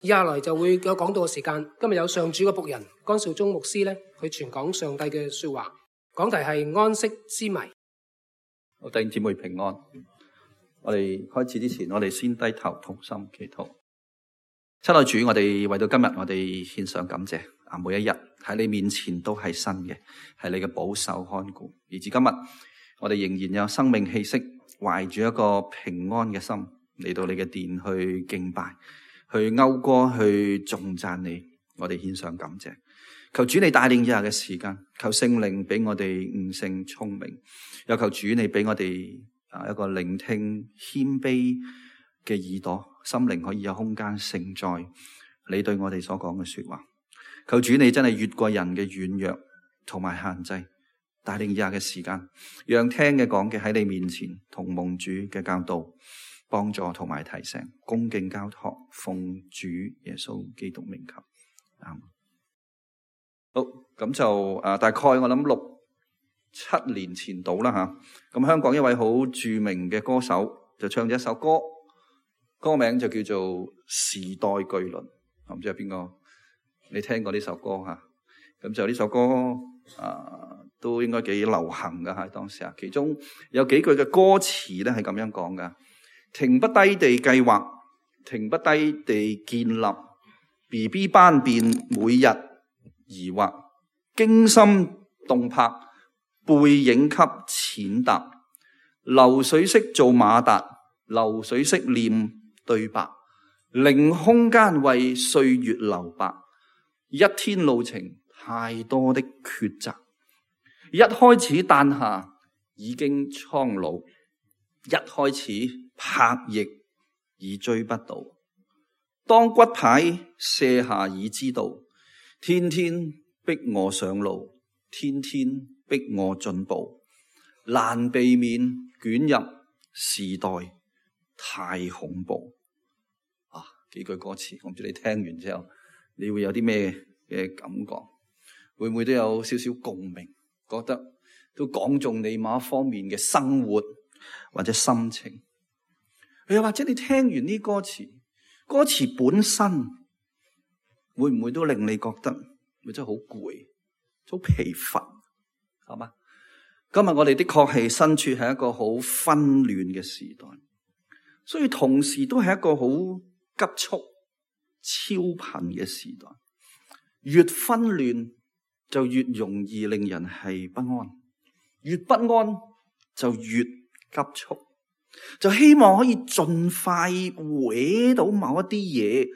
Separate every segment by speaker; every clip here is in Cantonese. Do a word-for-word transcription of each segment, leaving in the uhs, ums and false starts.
Speaker 1: 以下來就會有講道嘅時間。今日有上主嘅僕人江少忠牧師咧，去傳講上帝嘅說話。講題係安息之謎。
Speaker 2: 好，弟兄姊妹平安。我哋開始之前，我哋先低頭同心祈禱。親愛主，我哋為到今日，我哋獻上感謝。啊，每一日喺你面前都係新嘅，係你嘅保守看顧。而至今日，我哋仍然有生命氣息，懷住一個平安嘅心嚟到你嘅殿去敬拜，去謳歌，去頌讚你。我哋獻上感謝。求主你帶領以下嘅時間，求聖靈俾我哋悟性聰明，又求主你俾我哋啊一個聆聽謙卑嘅耳朵，心靈可以有空間承載你對我哋所講嘅說話。求主你真係越過人嘅軟弱同埋限制，帶領以下嘅時間，讓聽嘅講嘅喺你面前同蒙主嘅教導幫助同埋提醒，恭敬交託，奉主耶穌基督名求。啱。好，咁就啊，大概我諗六七年前到啦吓。咁香港一位好著名嘅歌手就唱咗一首歌，歌名就叫做《時代巨輪》。唔知係邊個？你聽過呢首歌吓？咁就呢首歌啊，都應該幾流行噶吓，當時啊，其中有幾句嘅歌詞咧係咁樣講噶：停不低地計劃，停不低地建立 B B 班變，每日疑惑，驚心動魄，背影給踐踏，流水式做馬達，流水式念對白，零空間為歲月留白。一天路程太多的抉擇，一開始誕下已經蒼老，一開始拍翼已追不到，當骨牌卸下已知道，天天逼我上路，天天逼我進步，難避免捲入時代太恐怖。啊，幾句歌詞，我唔知你聽完之後你會有啲咩嘅感覺？會唔會都有少少共鳴？覺得都講中你某一方面嘅生活或者心情？又或者你聽完呢歌詞，歌詞本身會唔會都令你覺得咪真係好攰、好疲乏？係嘛？今日我哋的確係身處喺一個好紛亂嘅時代，所以同時都係一個好急速、超頻嘅時代。越紛亂就越容易令人係不安，越不安就越急促，就希望可以盡快搲到某一啲嘢，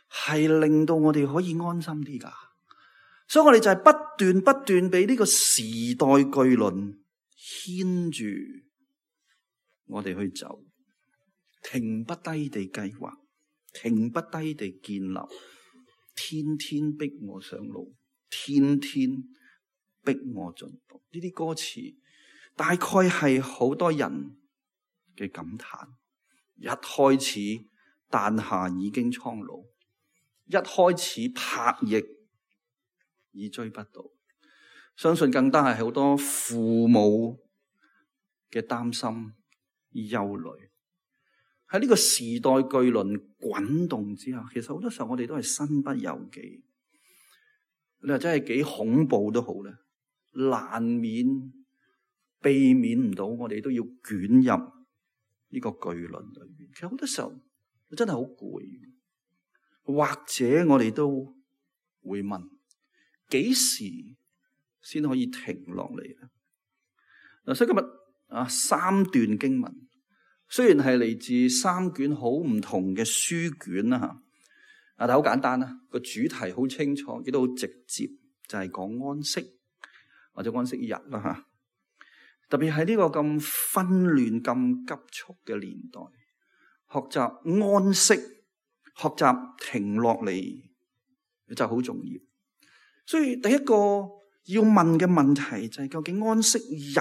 Speaker 2: 係令到我哋可以安心啲噶。所以我哋就係不斷不斷俾呢個時代巨輪牽住我哋去走，停不低地計劃，停不低地建立，天天逼我上路，天天逼我進步。呢啲歌詞大概係好多人嘅感嘆。一開始誕下已經蒼老，一開始拍翼已追不到。相信更加係好多父母嘅擔心、憂慮。喺呢個時代巨輪滾動之下，其實好多時候我哋都係身不由己。你話真係幾恐怖都好咧，難免避免唔到，我哋都要捲入呢個巨輪裏面。其實好多時候真係好攰，或者我哋都會問：幾時先可以停落嚟咧？嗱，所以今日啊，三段經文。雖然係嚟自三卷好唔同嘅書卷啦吓，啊但係好簡單啦，個主題好清楚，亦都好直接，就係講安息或者安息日啦吓。特別喺呢個咁紛亂、咁急促嘅年代，學習安息、學習停落嚟就好重要。所以第一個要問嘅問題就係，究竟安息日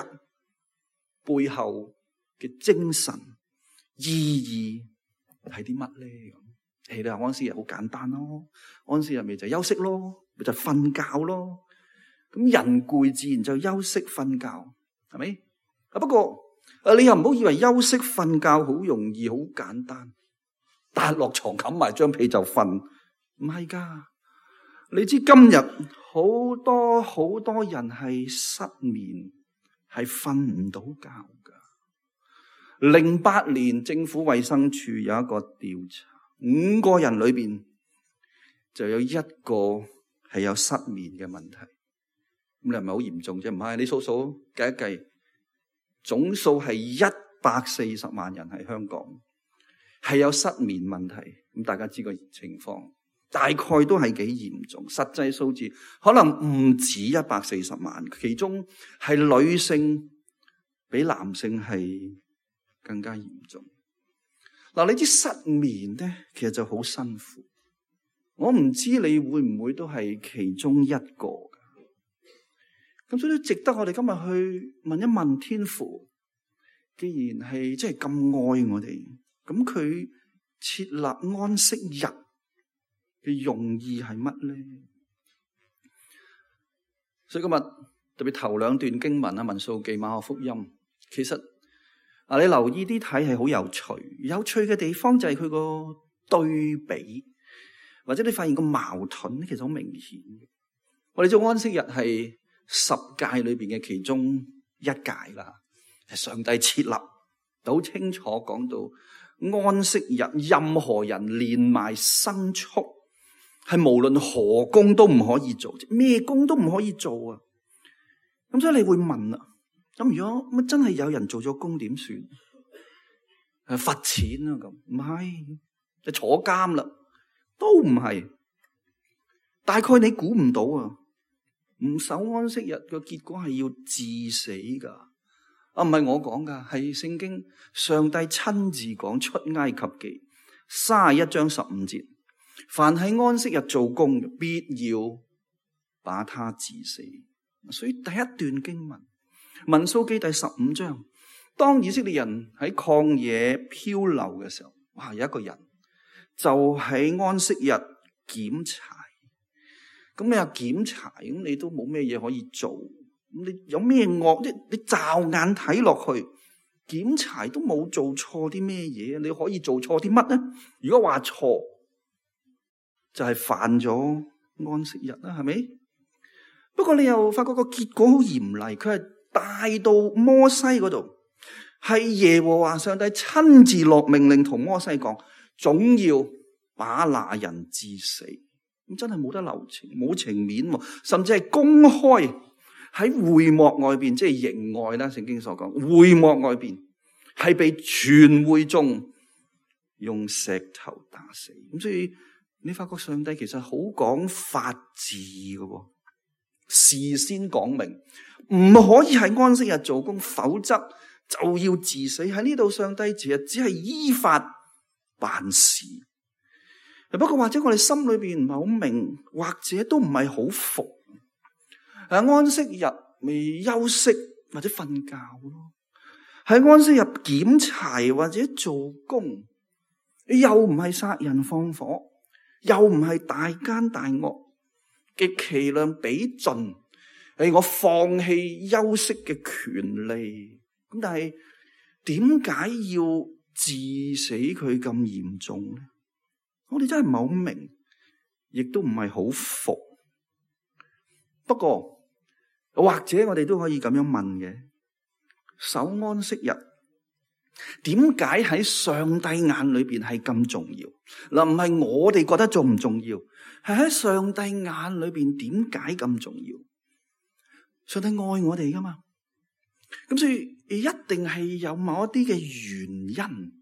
Speaker 2: 背後嘅精神意義係啲乜咧？咁，你話安息日好簡單咯，安息日咪就休息咯，咪就瞓覺咯。咁人攰自然就休息瞓覺，係咪？啊不過啊，你又唔好以為休息瞓覺好容易好簡單，但係落床冚埋張被就瞓，唔係噶。你知今日好多好多人係失眠，係瞓唔到覺噶。零八年政府衛生署有一個調查，五個人裏邊就有一個係有失眠嘅問題。咁你係咪好嚴重啫？唔係，你數數計一計，總數係一百四十萬人喺香港係有失眠問題。咁大家知個情況，大概都係幾嚴重。實際數字可能唔止一百四十萬，其中係女性比男性係更加嚴重。嗱，你知失眠咧，其實就好辛苦。我唔知你會唔會都係其中一個。咁所以都值得我哋今日去問一問天父，既然係即係咁愛我哋，咁佢設立安息日嘅用意係乜咧？所以今日特別頭兩段經文啊，民數記、馬可福音，其實啊，你留意啲睇係好有趣。有趣嘅地方就係佢個對比，或者你發現個矛盾咧，其實好明顯。我哋做安息日係十誡裏邊嘅其中一誡啦，係上帝設立，好清楚講到安息日，任何人連埋牲畜，係無論何工都唔可以做，咩工都唔可以做啊！咁所以你會問啦，咁如果乜真係有人做咗工點算？係罰錢啊？咁唔係，就坐監啦，都唔係。大概你估唔到啊！唔守安息日嘅結果係要致死噶，啊唔係我講噶，係聖經上帝親自講出埃及記三十一章十五節，凡喺安息日做工，必要把他致死。所以第一段經文民數記第十五章，當以色列人喺曠野漂流嘅時候，哇，有一個人就喺安息日檢查。咁你又檢查，咁你都冇咩嘢可以做。咁你有咩惡？即你驟眼睇落去，檢查都冇做錯啲咩嘢。你可以做錯啲乜呢？如果話錯，就係犯咗安息日啦，係咪？不過你又發覺個結果好嚴厲，佢係帶到摩西嗰度，係耶和華上帝親自落命令同摩西講，總要把那人致死。咁真係冇得留情，冇情面，甚至係公開喺會幕外邊，即係營外啦。聖經所講，會幕外邊係被全會眾用石頭打死。咁所以你發覺上帝其實好講法治嘅，事先講明唔可以喺安息日做工，否則就要致死。喺呢度上帝其實只係依法辦事。不過或者我哋心裏邊唔係好明，或者都唔係好服。喺安息日未休息或者瞓覺咯，喺安息日檢查或者做工，又唔係殺人放火，又唔係大奸大惡，極其量比盡，係我放棄休息嘅權利。咁但係點解要致死佢咁嚴重咧？我哋真係唔係好明，亦都唔係好服。不過或者我哋都可以咁樣問嘅：守安息日點解喺上帝眼裏邊係咁重要？嗱，唔係我哋覺得重唔重要，係喺上帝眼裏邊點解咁重要？上帝愛我哋噶嘛，咁所以一定係有某一啲嘅原因。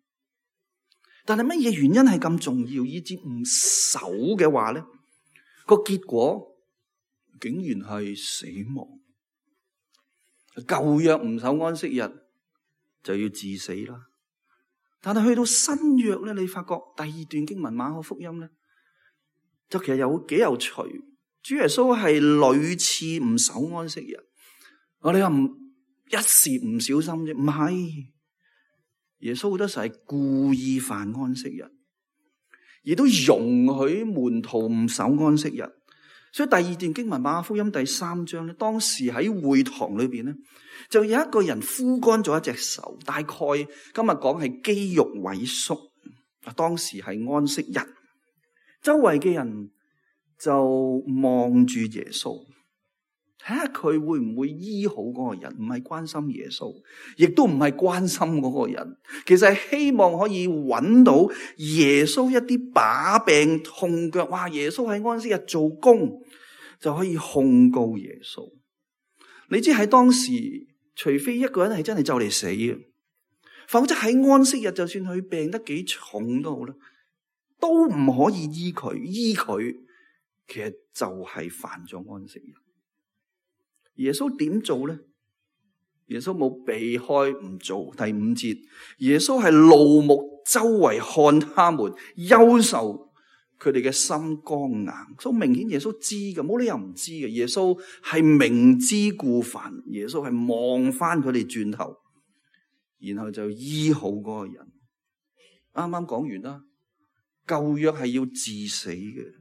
Speaker 2: 但係乜嘢原因係咁重要，以至唔守嘅話咧，個結果竟然係死亡。舊約唔守安息日就要致死啦。但係去到新約咧，你發覺第二段經文馬可福音咧，就其實有幾有趣。主耶穌係屢次唔守安息日。我哋話唔一時唔小心啫，唔係。耶穌好多時係故意犯安息日，亦都容許門徒唔守安息日。所以第二段經文馬可福音第三章咧，當時喺會堂裏邊咧，就有一個人枯乾咗一隻手，大概今日講係肌肉萎縮。當時係安息日，周圍嘅人就望住耶穌，睇下佢會唔會醫好嗰個人，唔係關心耶穌，亦都唔係關心嗰個人，其實係希望可以揾到耶穌一啲把柄痛腳，哇！耶穌喺安息日做工就可以控告耶穌。你知喺當時，除非一個人係真係就嚟死嘅，否則喺安息日就算佢病得幾重都好啦，都唔可以醫佢，醫佢其實就係犯咗安息日。耶穌點做咧？耶穌冇避開唔做。第五節，耶穌係怒目周圍看他們，憂愁佢哋嘅心剛硬。所以明顯耶穌知嘅，冇理由唔知嘅。耶穌係明知故犯，耶穌係望翻佢哋轉頭，然後就醫好嗰個人。啱啱講完啦，舊約係要治死嘅。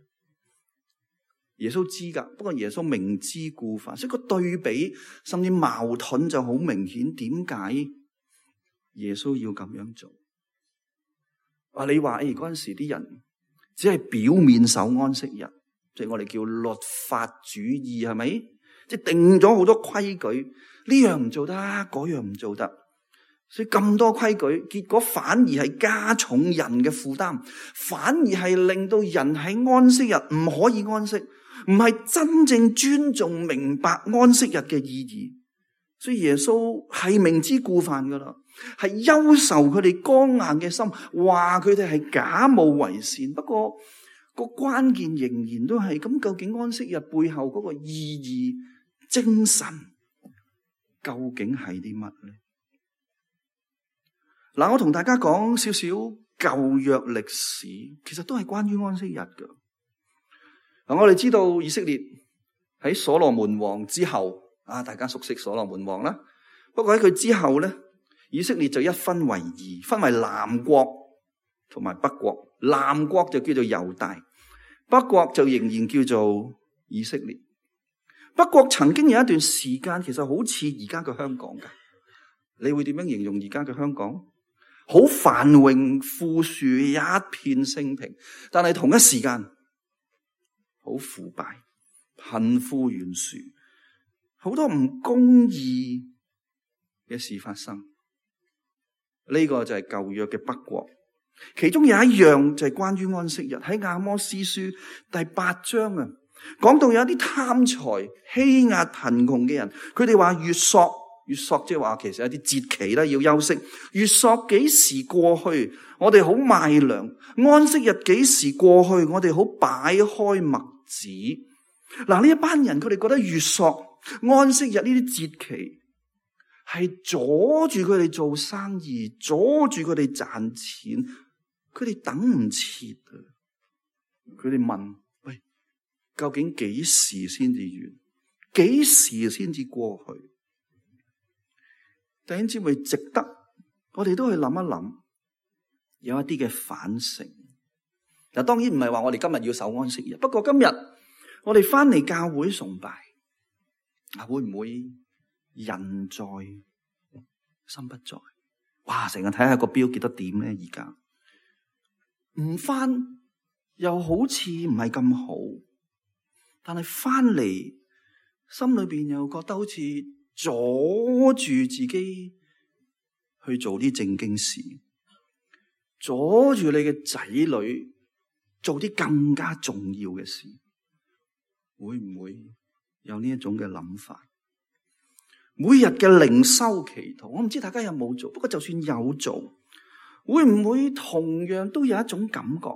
Speaker 2: 耶穌知噶，不過耶穌明知故犯，所以個對比甚至矛盾就好明顯。點解耶穌要咁樣做？啊，你話誒嗰陣時啲人只係表面守安息日，即係我哋叫律法主義，係咪？即係定咗好多規矩，呢樣唔做得，嗰樣唔做得，所以咁多規矩，結果反而係加重人嘅負擔，反而係令到人喺安息日唔可以安息。唔係真正尊重明白安息日嘅意義，所以耶穌係明知故犯噶啦，係憂愁佢哋剛硬嘅心，話佢哋係假冒為善。不過個關鍵仍然都係咁，究竟安息日背後嗰個意義、精神究竟係啲乜咧？嗱，我同大家講少少舊約歷史，其實都係關於安息日噶。嗱，我哋知道以色列喺所羅門王之後，啊，大家熟悉所羅門王啦。不過喺佢之後咧，以色列就一分為二，分為南國同埋北國。南國就叫做猶大，北國就仍然叫做以色列。北國曾經有一段時間，其實好似而家嘅香港噶。你會點樣形容而家嘅香港？好繁榮富庶，一片升平，但係同一時間，好腐敗，貧富懸殊，好多唔公義嘅事發生。呢、這個就係舊約嘅北國，其中有一樣就係關於安息日。喺亞摩司書第八章啊，講到有一啲貪財欺壓貧窮嘅人，佢哋話月朔，月朔即係話其實有啲節期啦，要休息。月朔幾時過去，我哋好賣糧；安息日幾時過去，我哋好擺開麥子。嗱，呢一班人佢哋覺得月朔、安息日呢啲節期係阻住佢哋做生意，阻住佢哋賺錢，佢哋等唔切啊！佢哋問：喂，究竟幾時先至完？幾時先至過去？弟兄姊妹，值得我哋都去諗一諗，有一啲嘅反省。嗱，當然唔係話我哋今日要守安息日，不過今日我哋翻嚟教會崇拜，啊，會唔會人在心不在？哇！成日睇下個表記得點咧，而家唔翻又好似唔係咁好，但係翻嚟心裏邊又覺得好似阻住自己去做啲正經事，阻住你嘅仔女做啲更加重要嘅事，會唔會有呢一種嘅諗法？每日嘅靈修祈禱，我唔知大家有冇做，不過就算有做，會唔會同樣都有一種感覺，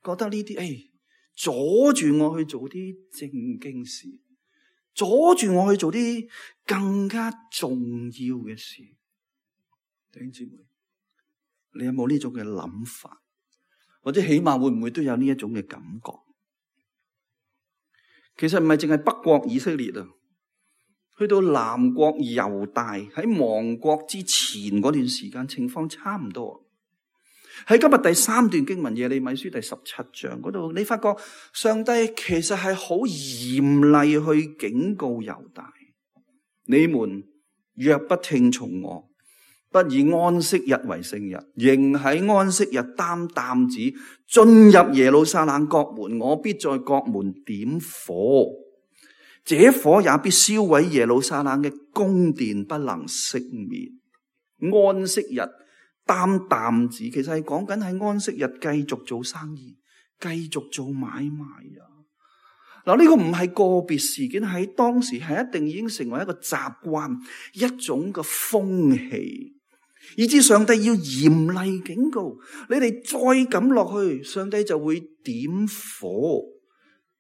Speaker 2: 覺得呢啲誒阻住我去做啲正經事，阻住我去做啲更加重要嘅事？弟兄姊妹，你有冇呢種嘅諗法？或者起碼會唔會都有呢一種嘅感覺？其實唔係淨係北國以色列啊，去到南國猶大喺亡國之前嗰段時間，情況差唔多。喺今日第三段經文耶利米書第十七章嗰度，你發覺上帝其實係好嚴厲去警告猶大：你們若不聽從我，不以安息日為聖日，仍喺安息日擔擔子進入耶路撒冷國門，我必在國門點火，這火也必燒毀耶路撒冷嘅宮殿，不能熄滅。安息日擔擔子，其實係講緊喺安息日繼續做生意，繼續做買賣啊！嗱，呢個唔係個別事件，喺當時係一定已經成為一個習慣，一種嘅風氣。以致上帝要嚴厲警告你哋，再咁落去，上帝就會點火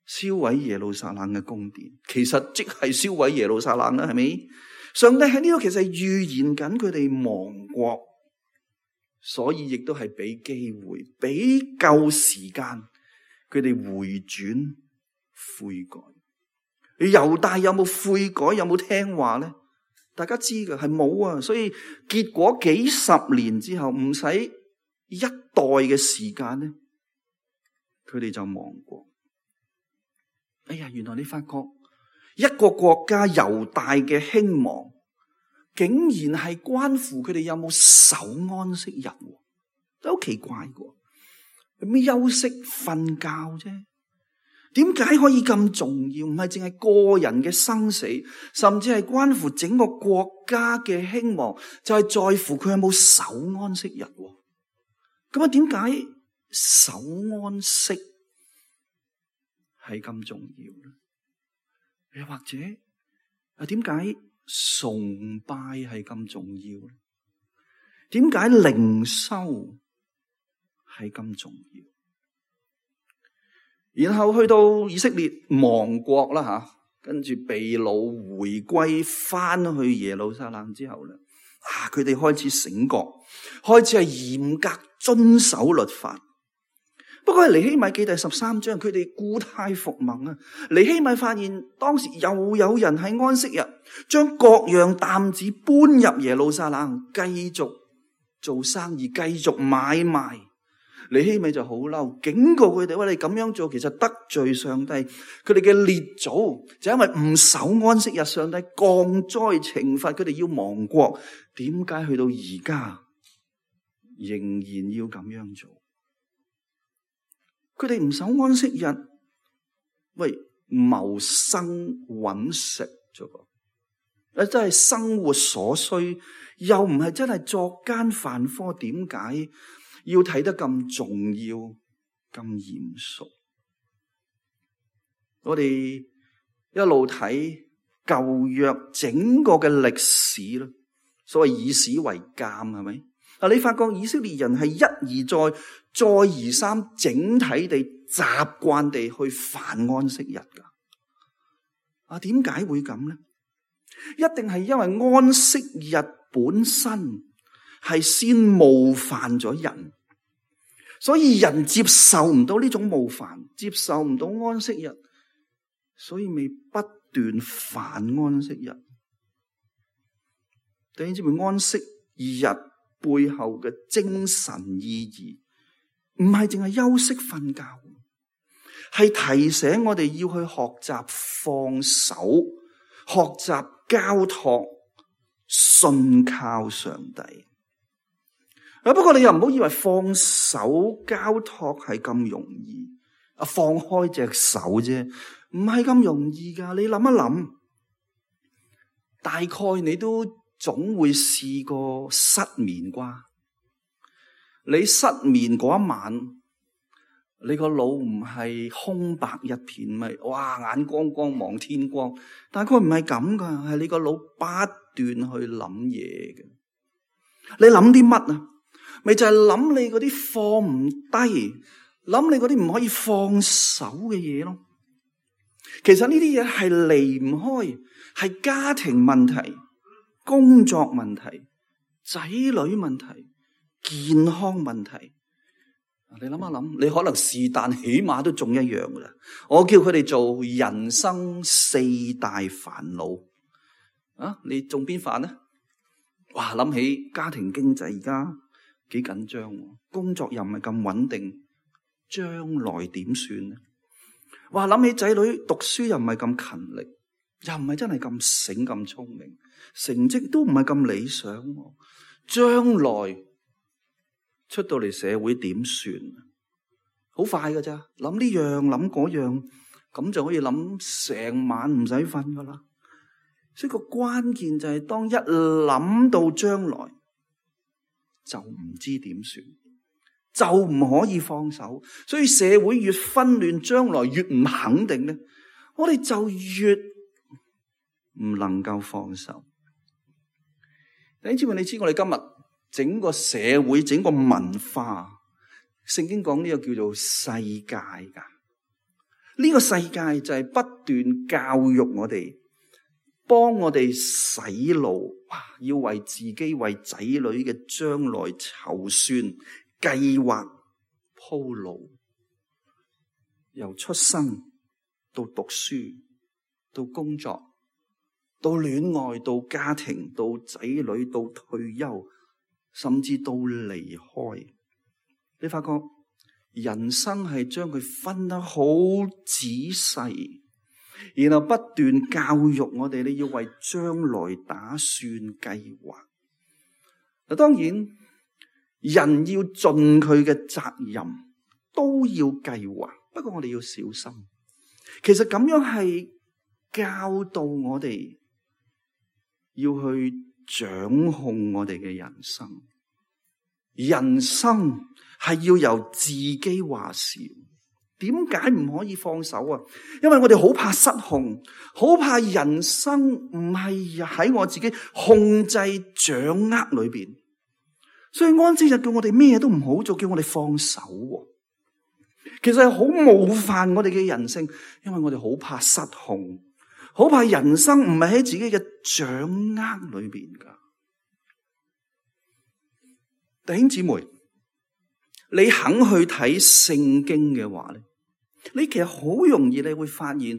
Speaker 2: 燒毀耶路撒冷嘅宮殿。其實即係燒毀耶路撒冷啦，係咪？上帝喺呢度其實係預言緊佢哋亡國，所以亦都係俾機會，俾夠時間佢哋回轉悔改。猶大有冇悔改？有冇聽話咧？大家知嘅係冇啊，所以結果幾十年之後，唔使一代嘅時間咧，佢哋就亡國。哎呀，原來你發覺一個國家猶大嘅興亡，竟然係關乎佢哋有冇守安息日，都好奇怪嘅。有咩休息瞓覺啫？點解可以咁重要？唔係淨係個人嘅生死，甚至係關乎整個國家嘅興亡，就係在乎佢有冇守安息日。咁啊，點解守安息係咁重要咧？又或者啊，點解崇拜係咁重要咧？點解靈修係咁重要？然後去到以色列亡國啦吓，跟住被擄回歸翻去耶路撒冷之後咧，啊，佢哋開始醒覺，開始係嚴格遵守律法。不過尼希米記第十三章，佢哋故態復萌啊！尼希米發現當時又有人喺安息日將各樣擔子搬入耶路撒冷，繼續做生意，繼續買賣。尼希米就好嬲，警告佢哋：喂，你咁樣做其實得罪上帝。佢哋嘅列祖就因為唔守安息日，上帝降災懲罰佢哋要亡國。點解去到而家仍然要咁樣做？佢哋唔守安息日，喂，謀生揾食啫噃，誒，真係生活所需，又唔係真係作奸犯科，點解要睇得咁重要、咁嚴肅？我哋一路睇舊約整個嘅歷史啦，所謂以史為鑑，係咪？啊，你發覺以色列人係一而再、再而三，整體地習慣地去犯安息日噶。啊，點解會咁咧？一定係因為安息日本身係先冒犯咗人。所以人接受唔到呢種冒犯，接受唔到安息日，所以咪不斷犯安息日。弟兄姊妹，安息日背後嘅精神意義，唔係淨係休息瞓覺，係提醒我哋要去學習放手，學習交託，信靠上帝。不過你又唔好以為放手交託係咁容易，啊，放開隻手啫，唔係咁容易噶。你諗一諗，大概你都總會試過失眠啩？你失眠嗰一晚，你個腦唔係空白一片咪？哇，眼光光望天光，大概唔係咁噶，係你個腦不斷去諗嘢嘅。你諗啲乜啊？咪就係諗你嗰啲放唔低，諗你嗰啲唔可以放手嘅嘢咯。其實呢啲嘢係離唔開，係家庭問題、工作問題、仔女問題、健康問題。你諗一諗，你可能是但起碼都中一樣噶啦。我叫佢哋做人生四大煩惱。啊，你中邊煩呢？哇，諗起家庭經濟而家幾緊張，工作又唔係咁穩定，將來點算呢？哇，諗起仔女讀書又唔係咁勤力，又唔係真係咁醒咁聰明，成績都唔係咁理想，將來出到嚟社會點算？好快㗎咋，諗呢樣諗嗰樣，咁就可以諗成晚唔使瞓噶啦。所以個關鍵就係當一諗到將來，就唔知點算，就唔可以放手。所以社會越紛亂，將來越唔肯定咧，我哋就越唔能夠放手。弟兄姊妹，你知我哋今日整個社會、整個文化，聖經講呢個叫做世界噶。呢個世界就係不斷教育我哋，幫我哋洗腦，要為自己、為仔女嘅將來籌算、計劃、鋪路，由出生到讀書，到工作，到戀愛，到家庭，到仔女，到退休，甚至到離開。你發覺人生係將佢分得好仔細，然後不斷教育我哋，你要為將來打算計劃。嗱，當然人要盡佢嘅責任，都要計劃。不過我哋要小心，其實咁樣係教導我哋要去掌控我哋嘅人生。人生係要由自己話事。點解唔可以放手啊？因為我哋好怕失控，好怕人生唔係喺我自己控制掌握裏邊。所以安息日叫我哋咩都唔好做，叫我哋放手。其實係好冒犯我哋嘅人性，因為我哋好怕失控，好怕人生唔係喺自己嘅掌握裏邊噶。弟兄姊妹，你肯去睇聖經嘅話咧，你其實好容易你會發現，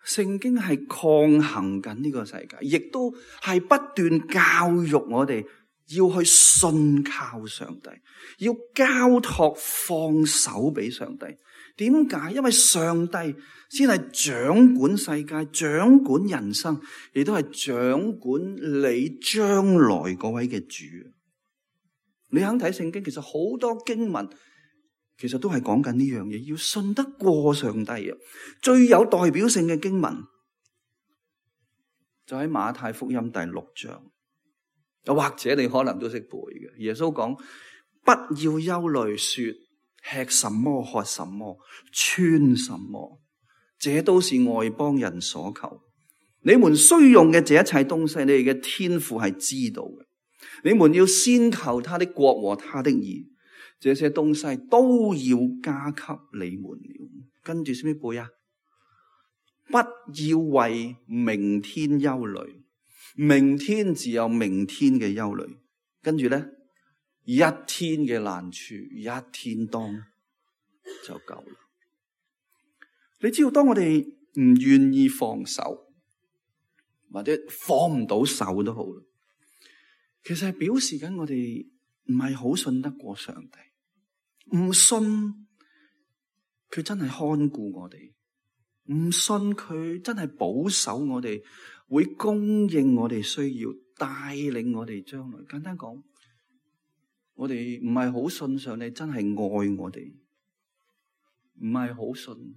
Speaker 2: 聖經係抗衡緊呢個世界，亦都係不斷教育我哋要去信靠上帝，要交託放手俾上帝。點解？因為上帝先係掌管世界、掌管人生，亦都係掌管你將來嗰位嘅主。你肯睇聖經，其實好多經文其實都係講緊呢樣嘢，要信得過上帝啊！最有代表性嘅經文就喺馬太福音第六章，又或者你可能都識背嘅。耶穌講：不要憂慮，說吃什麼、喝什麼、穿什麼，這都是外邦人所求。你們需用嘅這一切東西，你哋嘅天父係知道嘅。你們要先求他的國和他的義，這些東西都要加給你們了。跟住先唔背啊？不要為明天憂慮，明天自有明天嘅憂慮。跟住咧，一天嘅難處一天當就夠啦。你知道，當我哋唔願意放手，或者放唔到手都好啦，其實係表示緊我哋唔係好信得過上帝，唔信佢真係看顧我哋，唔信佢真係保守我哋，會供應我哋需要，帶領我哋將來。簡單講，我哋唔係好信上帝真係愛我哋，唔係好信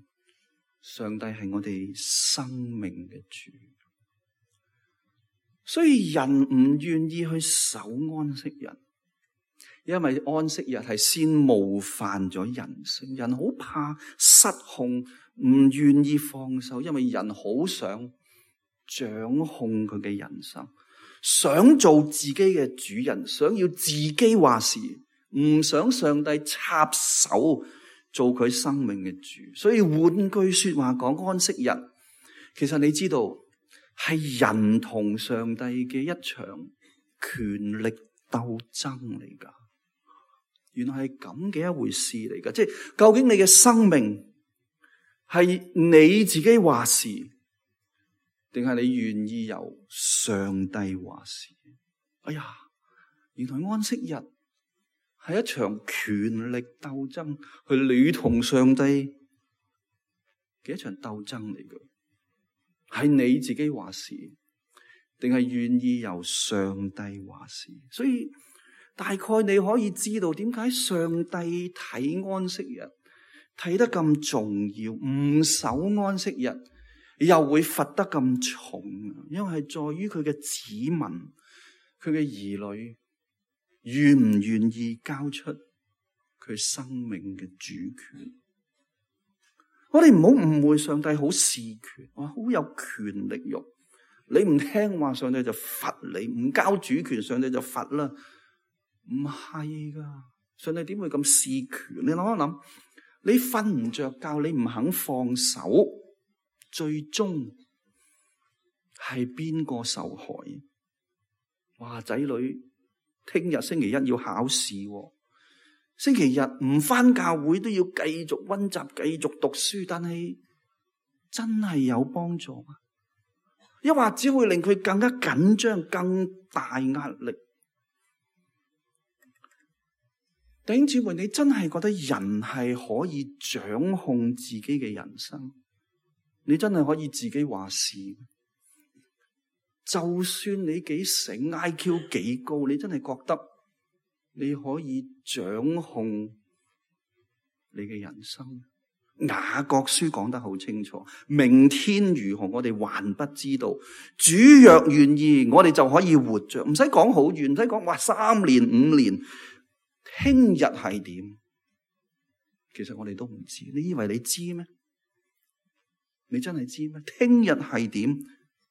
Speaker 2: 上帝係我哋生命嘅主。所以人唔願意去守安息日，因為安息日係先冒犯咗人性。人好怕失控，唔願意放手，因為人好想掌控佢嘅人生，想做自己嘅主人，想要自己話事，唔想上帝插手做佢生命嘅主。所以換句說話講，安息日其實你知道係人同上帝嘅一場權力鬥爭嚟噶。原來係咁嘅一回事嚟噶，即係究竟你嘅生命係你自己話事，定係你願意由上帝話事？哎呀，原來安息日係一場權力鬥爭，係你同上帝嘅一場鬥爭嚟嘅。係你自己話事，定係願意由上帝話事？所以大概你可以知道點解上帝睇安息日睇得咁重要，唔守安息日又會罰得咁重，因為係在於佢嘅子民，佢嘅兒女願唔願意交出佢生命嘅主權。我哋唔好誤會上帝好事權，我好有權力欲。你唔聽話，上帝就罰你；唔交主權，上帝就罰啦。唔係噶，上帝點會咁事權？你諗一諗，你瞓唔着覺，你唔肯放手，最終係邊個受害？哇！仔女聽日星期一要考試，星期日唔返教會都要繼續溫習、繼續讀書，但係真係有幫助嗎？抑或只會令佢更加緊張、更大壓力？弟兄姊妹，你真係覺得人係可以掌控自己嘅人生？你真係可以自己話事？就算你幾醒 ，I Q 幾高，你真係覺得你可以掌控你嘅人生？雅各書講得好清楚，明天如何我哋還不知道，主若願意，我哋就可以活着，唔使講好遠，唔使講話三年五年，聽日係點？其實我哋都唔知。你以為你知咩？你真係知咩？聽日係點？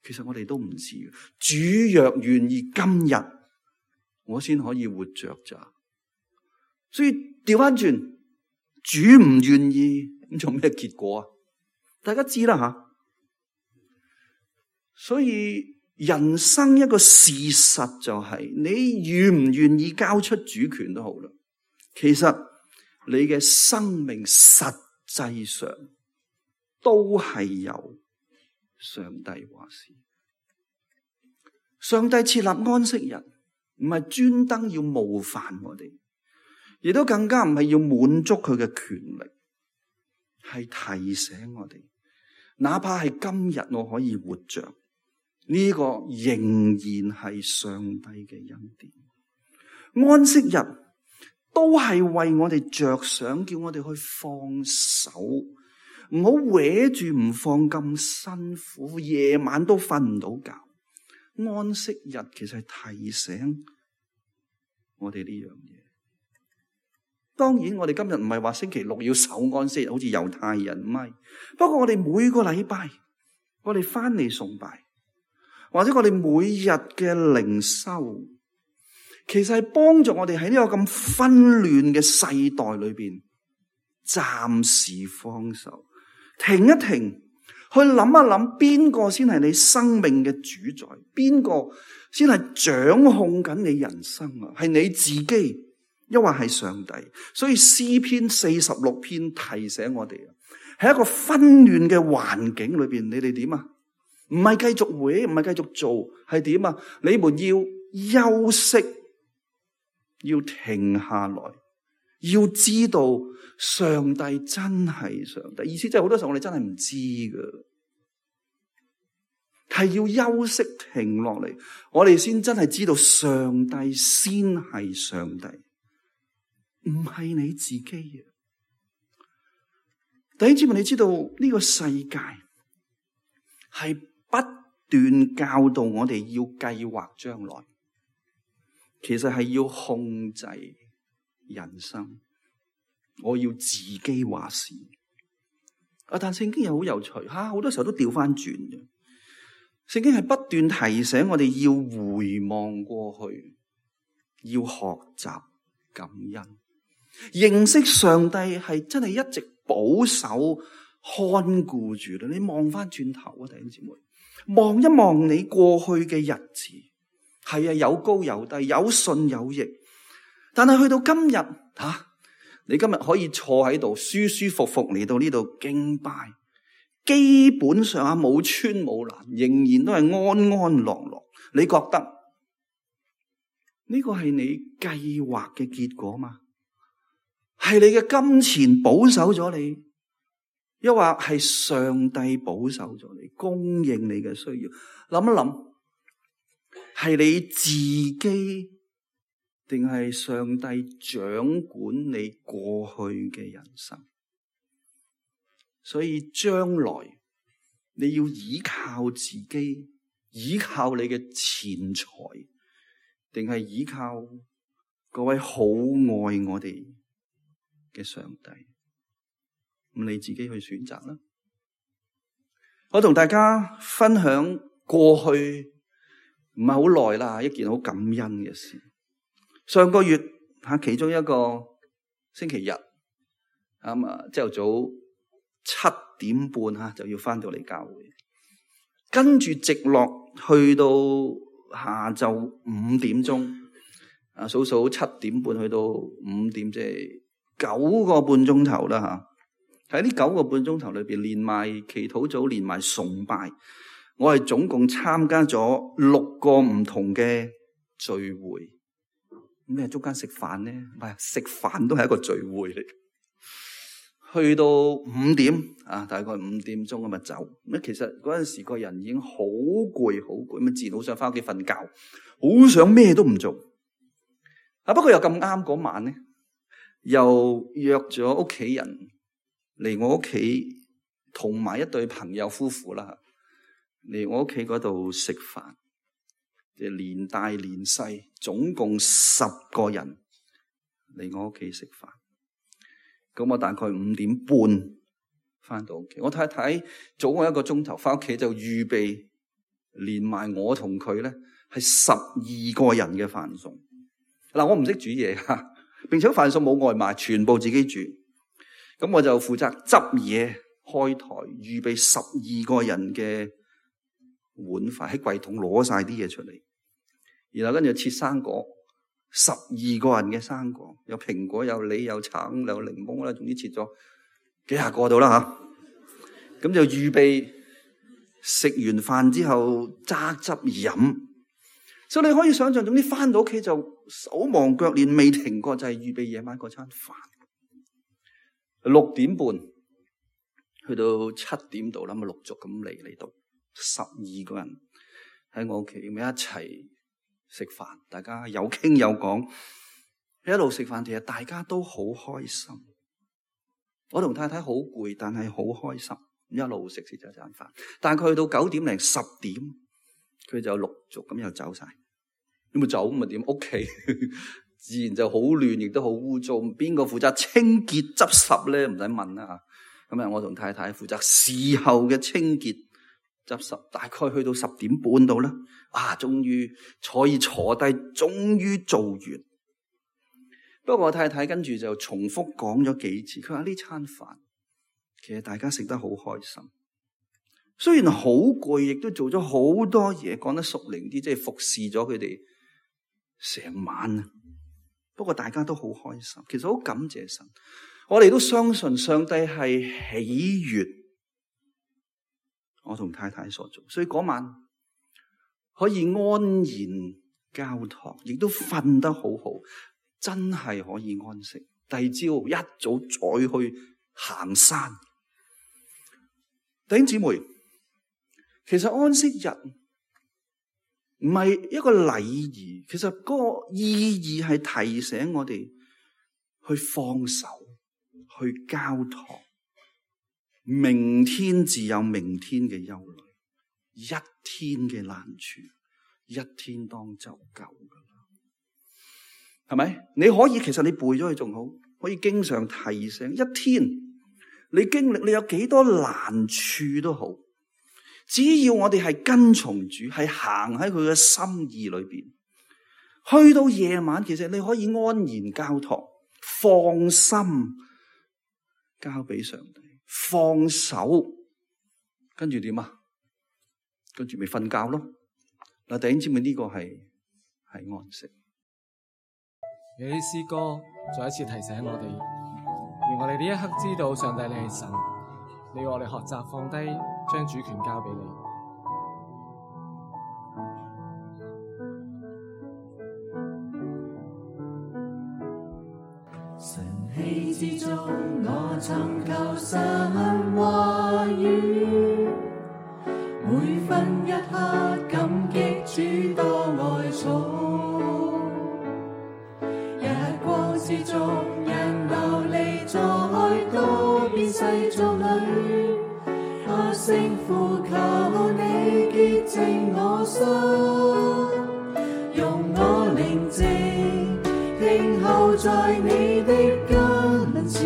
Speaker 2: 其實我哋都唔知。主若願意，今日我先可以活着咋。所以調翻轉，主唔願意，咁做咩結果啊？大家知啦吓。所以人生一個事實就係，你願唔願意交出主權都好啦。其實你嘅生命實際上都係由上帝話事。上帝設立安息日，唔係專登要冒犯我哋，亦都更加唔係要滿足佢嘅權力，係提醒我哋，哪怕係今日我可以活着，呢個仍然係上帝嘅恩典。安息日都係為我哋着想，叫我哋去放手，唔好搲住唔放咁辛苦，夜晚都瞓唔到覺。安息日其實係提醒我哋呢樣嘢。當然我哋今日唔係話星期六要守安息日，好似猶太人唔係。不過我哋每個禮拜我哋翻嚟崇拜，或者我哋每日嘅靈修，其實係幫助我哋喺呢個咁紛亂嘅世代裏邊暫時放手，停一停，去諗一諗邊個先係你生命嘅主宰，邊個先係掌控緊你人生啊？係你自己，抑或係上帝？所以詩篇四十六篇提醒我哋啊，喺一個紛亂嘅環境裏邊，你哋點啊？唔係繼續會，唔係繼續做，係點啊？你們要休息，要停下來，要知道上帝真係上帝。意思即係好多時候我哋真係唔知噶，係要休息停落嚟，我哋先真係知道上帝先係上帝，唔係你自己嘅。弟兄姊妹，你知道呢個世界係不斷教導我哋要計劃將來，其實係要控制人生，我要自己話事。啊，但聖經又好有趣吓，好多時候都調翻轉嘅。聖經係不斷提醒我哋要回望過去，要學習感恩，認識上帝係真係一直保守看顧住啦。你望翻轉頭啊，弟兄姊妹，望一望你過去嘅日子，係啊，有高有低，有順有逆，但係去到今日吓、啊，你今日可以坐喺度舒舒服服嚟到呢度敬拜，基本上啊冇穿冇爛，仍然都係安安樂樂。你覺得呢個係你計劃嘅結果嘛？係你嘅金錢保守咗你，抑或係上帝保守咗你，供應你嘅需要？諗一諗，係你自己定係上帝掌管你過去嘅人生？所以將來你要依靠自己，依靠你嘅錢財，定係依靠嗰位好愛我哋嘅上帝？咁你自己去選擇啦。我同大家分享過去唔係好耐啦，一件好感恩嘅事。上個月吓其中一個星期日，咁啊朝頭早七點半吓就要翻到嚟教會，跟住直落去到下晝五點鐘，啊數數七點半去到五點，即係九個半鐘頭啦吓。喺呢九個半鐘頭裏邊，連埋祈禱組，連埋崇拜，我係總共參加咗六個唔同嘅聚會。咩中間食飯咧？唔係食飯都係一個聚會嚟。去到五點啊，大概五點鐘咁啊走。咁其實嗰陣時個人已經好攰，好攰，咁啊自然好想翻屋企瞓覺，好想咩都唔做。啊，不過又咁啱嗰晚咧，又約咗屋企人嚟我屋企，同埋一對朋友夫婦啦，嚟我屋企嗰度食飯，即係連大連細，總共十個人嚟我屋企食飯。咁我大概五點半翻到屋企，我太太早我一個鐘頭翻屋企就預備，連埋我同佢咧係十二個人嘅飯餸。嗱，我唔識煮嘢吓，並且飯餸冇外賣，全部自己煮。咁我就負責執嘢、開台、預備十二個人嘅碗筷，喺櫃桶攞晒啲嘢出嚟，然後跟住切生果，十二個人嘅生果，有蘋果、有梨、有橙、有檸檬啦，總之切咗幾廿個度啦吓。咁就預備食完飯之後揸汁飲，所以你可以想象，總之翻到屋企就手忙腳亂，未停過，就係預備夜晚嗰餐飯。六點半去到七點度啦，咁陸續咁嚟嚟到十二個人喺我屋企，咁一齊食飯，大家有傾有講，一路食飯，其實大家都好開心。我同太太好攰，但係好開心，一路食食咗餐飯。但係佢去到九點零十點，佢就陸續咁又走晒。咁咪走咁咪點？屋企自然就好亂，亦都好污糟。邊個負責清潔執拾咧？唔使問啦吓。咁啊，我同太太負責事後嘅清潔執拾。大概去到十點半到啦，啊，終於可以坐低，終於做完。不過我太太跟住就重複講咗幾次，佢話呢餐飯其實大家食得好開心，雖然好攰，亦都做咗好多嘢，講得熟靈啲，即係服侍咗佢哋成晚啊。不過大家都好開心，其實好感謝神。我哋都相信上帝係喜悅我同太太所做，所以嗰晚可以安然交託，亦都瞓得好好，真係可以安息。第二朝一早再去行山。弟兄姊妹，其實安息日唔係一個禮儀，其實嗰個意義係提醒我哋去放手，去交託。明天自有明天嘅憂慮，一天嘅難處，一天當就夠噶啦，係咪？你可以，其實你背咗佢仲好，可以經常提醒。一天你經歷，你有幾多難處都好，只要我哋係跟從主，係行喺佢嘅心意裏邊，去到夜晚，其實你可以安然交託，放心交俾上帝，放手，跟住點啊？跟住咪瞓覺咯。嗱，弟兄姊妹，呢個係係安息。
Speaker 3: 有啲詩歌再一次提醒我哋，願我哋呢一刻知道上帝你係神，你要我哋學習放低，將主權交俾你。
Speaker 4: 晨曦之中，我尋求神話語，每分一刻感激主多愛寵。聲呼求你潔淨我心，用我寧靜聽候在你的跟前，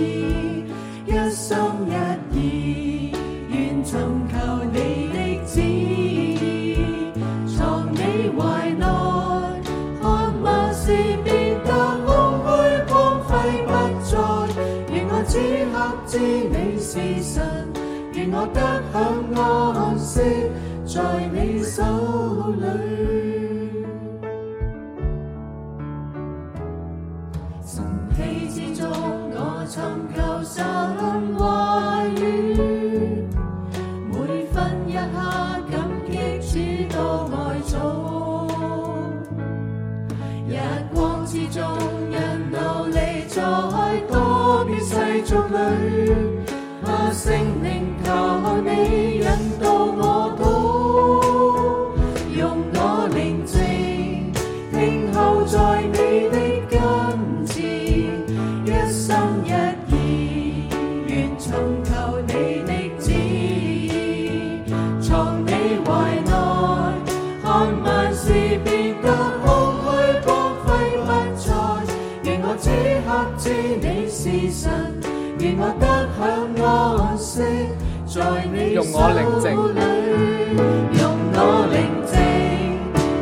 Speaker 4: 一心一意願尋求你的旨意，藏你懷內，看萬事變得空虛光輝不再，願我此刻知你是神，願我得享安息在你手裏。晨曦之中我尋求神話語，每分一刻感激主多愛寵，日光之中人流離在多變世俗裏，啊聖靈求你引導我途，用我寧靜聽候在你的跟前，一心一意願尋求你的旨意，藏你懷內，看萬事變得空虛光輝不再，願我此刻知你是神，願我得享安息在你手裏，用我寧靜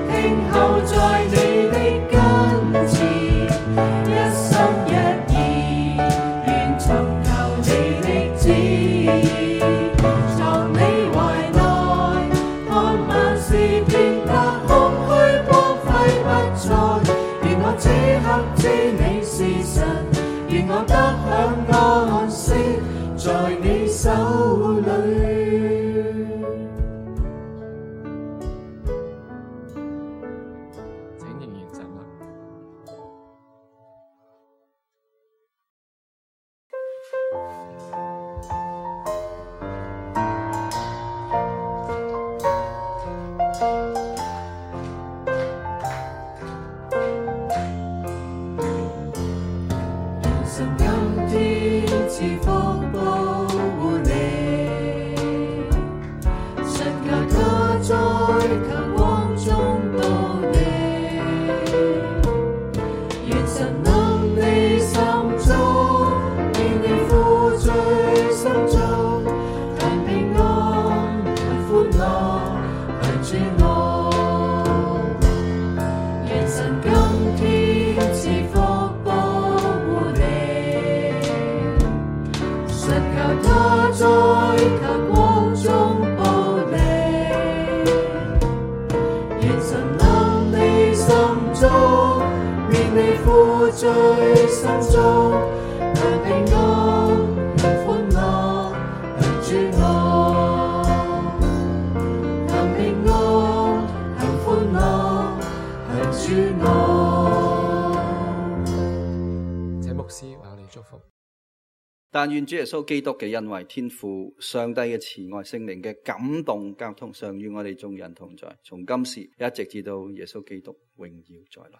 Speaker 4: 聽候在你的跟前，一心一意願尋求你的旨意，藏你懷內，看萬事變得空虛光輝不再，願我此刻知你是神，願我得享安息在你手裏。
Speaker 3: 請仍然站立。
Speaker 4: 神今天賜福保護你，神求他在強光中保你，願神能你心中，願你負罪心中，但平安但歡樂但主我，願神今天賜福保護你，神求他在強光中保你，願神能你心中，免你負罪心中，但平安但歡樂但主我，但平安但歡樂但主我。
Speaker 3: 請牧師為我哋祝福。
Speaker 2: 但願主耶穌基督嘅恩惠、天父上帝嘅慈愛、聖靈嘅感動交通，常與我哋眾人同在，從今時一直至到耶穌基督榮耀再來。